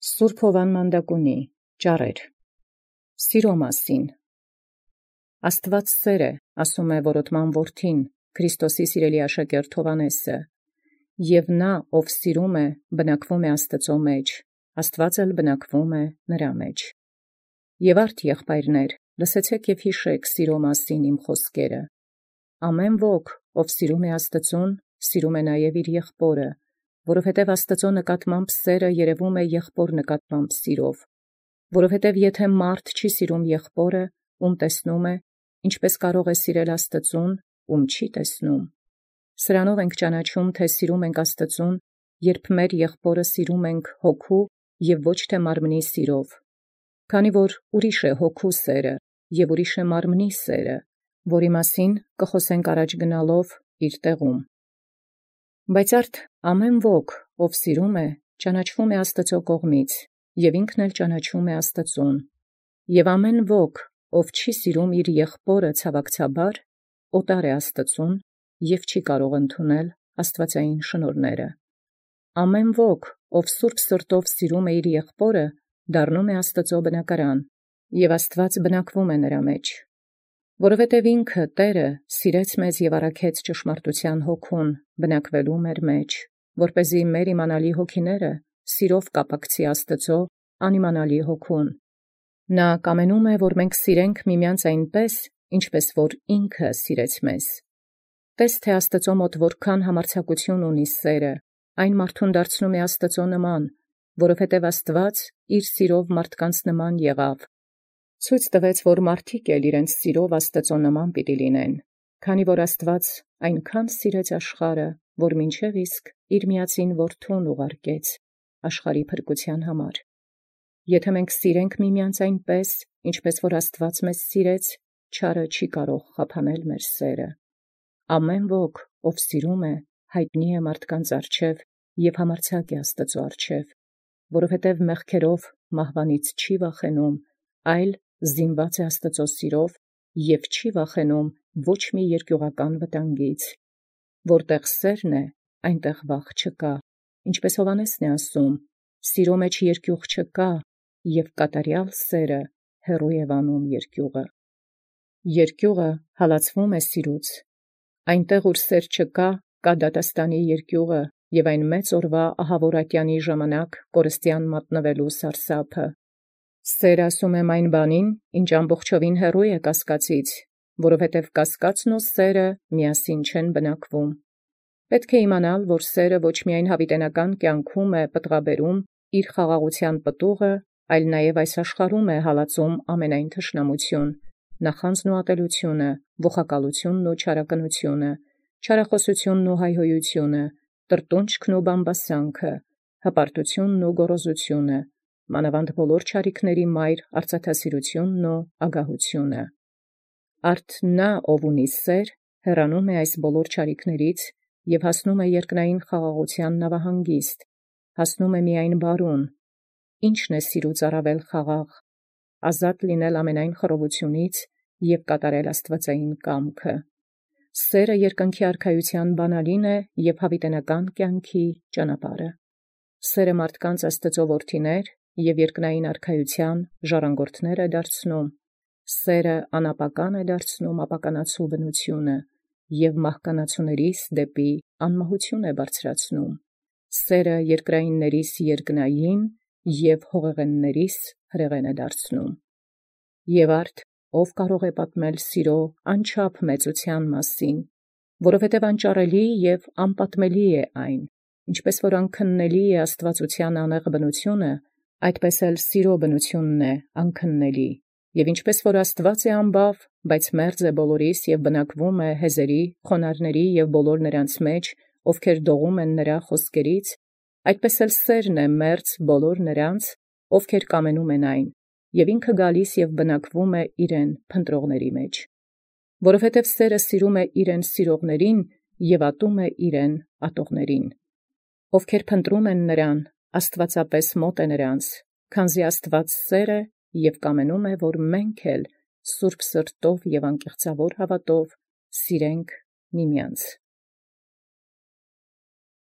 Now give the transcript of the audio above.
Սուրբ Հովան Մանդակունի ճառեր Սիրո մասին Աստված սեր է, ասում է որոտման որդին, Քրիստոսի սիրելի աշակերտ Հովհաննեսը, և նա, ով սիրում է, բնակվում է Աստծո մեջ, Աստված էլ բնակվում է նրա մեջ։ Եվ արդ եղբայրներ, լսեցեք և հիշեք սիրո մասին իմ խոսքերը։ Ամեն ոք, ով սիրում է Աստծուն, սիրում է նաև իր եղբորը, որովհետև Աստծո նկատմամբ սերը երևում է եղբոր նկատմամբ սիրով, որովհետև եթե մարդ չի սիրում եղբորը, ում տեսնում է, ինչպես կարող է սիրել Աստծուն, ում չի տեսնում։ Սրանով ենք ճանաչում, թե սիրում ենք Աստծուն, երբ մեր եղբորը սիրում ենք հոգու և ոչ թե մարմնի սիրով, քանի որ ուրիշ է հոգու սերը և ուրիշ է մարմնի սերը, որի մասին կխոսենք առաջ գնալով իր տեղում։ Բայց արդ ամեն ոք, ով սիրում է, ճանաչվում է Աստծո կողմից, և ինքն էլ ճանաչում է Աստծուն, և ամեն ոք, ով չի սիրում իր եղբորը ցավակցաբար, օտար է Աստծուն և չի կարող ընդունել աստվածային շնորհները։ Ամեն ոք, ով սուրբ սրտով սիրում է իր եղբորը, դառնում է Աստծո բնակարան, և Աստված բնակվում է նրա մեջ։ Որովհետև ինքը Տերը սիրեց մեզ և առաքեց ճշմարտության հոգուն բնակվելու մեր մեջ, որպեսզի մեր իմանալի հոգիները սիրով կապակցի Աստծո անիմանալի հոգուն։ Նա կամենում է, որ մենք սիրենք միմյանց այնպես, ինչպես որ ինքը սիրեց մեզ։ Տես թե Աստծո մոտ որքան համարձակություն ունի սերը, այն մարդուն դարձնում է Աստծո նման, որովհետև Աստված իր սիրով մարդկանց նման եղավ։ Ցույց տվեց, որ մարդիկ էլ իրենց սիրով Աստծո նման պիտի լինեն, քանի որ Աստված այնքան սիրեց աշխարհը, որ մինչև իսկ իր միածին որդուն ուղարկեց աշխարհի փրկության համար։ Եթե մենք սիրենք միմյանց այնպես, ինչպես որ Աստված մեզ սիրեց, չարը չի կարող խափանել մեր սերը։ Ամեն ոք, ով սիրում է, հայտնի է մարդկանց առջև և համարձակ է Աստծո առջև, որովհետև մեղքերով մահվանից չի վախենում, այլ զինված է Աստծո սիրով և չի վախենում ոչ մի երկյուղական վտանգից։ Որտեղ սերն է, այնտեղ վախ չկա, ինչպես Հովհաննեսն է ասում. սիրո մեջ երկյուղ չկա, և կատարյալ սերը հեռու է վանում երկյուղը։ Երկյուղը հալածվում է սիրուց։ Այնտեղ, ուր սեր չկա, կա դատաստանի երկյուղը և այն մեծ օրվա ահավոր ատյանի ժամանակ կորստյան մատնվելու սարսափը։ Սեր ասում եմ այն բանին, ինչ ամբողջովին հեռու է կասկածից, որովհետև կասկածն ու սերը միասին չեն բնակվում։ Պետք է իմանալ, որ սերը ոչ միայն հավիտենական կյանքում է պտղաբերում իր խաղաղության պտուղը, այլ նաև այս աշխարհում է հալածում ամենայն թշնամություն, նախանձն ու ատելությունը, ողակալությունն ու չարակնությունը, չարախոսությունն ու հայհոյությունը, տրտունջքն ու բամբասանքը, հպարտությունն ու գոռոզությունը, մանավանդ բոլոր չարիքների մայր արծաթասիրությունն ու ագահությունը։ Արդ նա, ով ունի սեր, հեռանում է այս բոլոր չարիքներից և հասնում է երկնային խաղաղության նավահանգիստ, հասնում է միայն բարուն։ Ի՞նչն է սիրուց առավել խաղաղ, ազատ լինել ամենայն խռովությունից և կատարել աստվածային կամքը։ Սերը երկնքի արքայության բանալին է և հավիտենական կյանքի ճանապարհը։ Սերը մարդկանց Աստծո որդիներ և երկնային արքայության ժառանգորդներ է դարձնում։ Սերը անապական է դարձնում ապականացու բնությունը և մահկանացուներիս դեպի անմահություն է բարձրացնում։ Սերը երկրայիններիս երկնային և հողեղեններիս հրեղեն է դարձնում։ Եվ արդ ով կարող է պատմել սիրո անչափ մեծության մասին, որովհետև անճառելի և անպատմելի է այն, ինչպես որ անքննելի է աստվածության անեղ բնությունը, այդպես էլ սիրո բնությունն է անքննելի, և ինչպես որ Աստված է ամբավ, բայց մերձ է բոլորիս և բնակվում է հեզերի, խոնարհների և բոլոր նրանց մեջ, ովքեր դողում են նրա խոսքերից, այդպես էլ սերն է մերձ բոլոր նրանց, ովքեր կամենում են այն, և ինքը գալիս և բնակվում է իրեն փնտրողների մեջ։ Որովհետև սերը սիրում է իրեն սիրողներին և ատում է իրեն ատողներին։ Ովքեր փնտրում են նրան, աստվածապես մոտ է նրանց, քանզի Աստված սեր է և կամենում է, որ մենք էլ սուրբ սրտով և անկեղծավոր հավատով սիրենք միմյանց։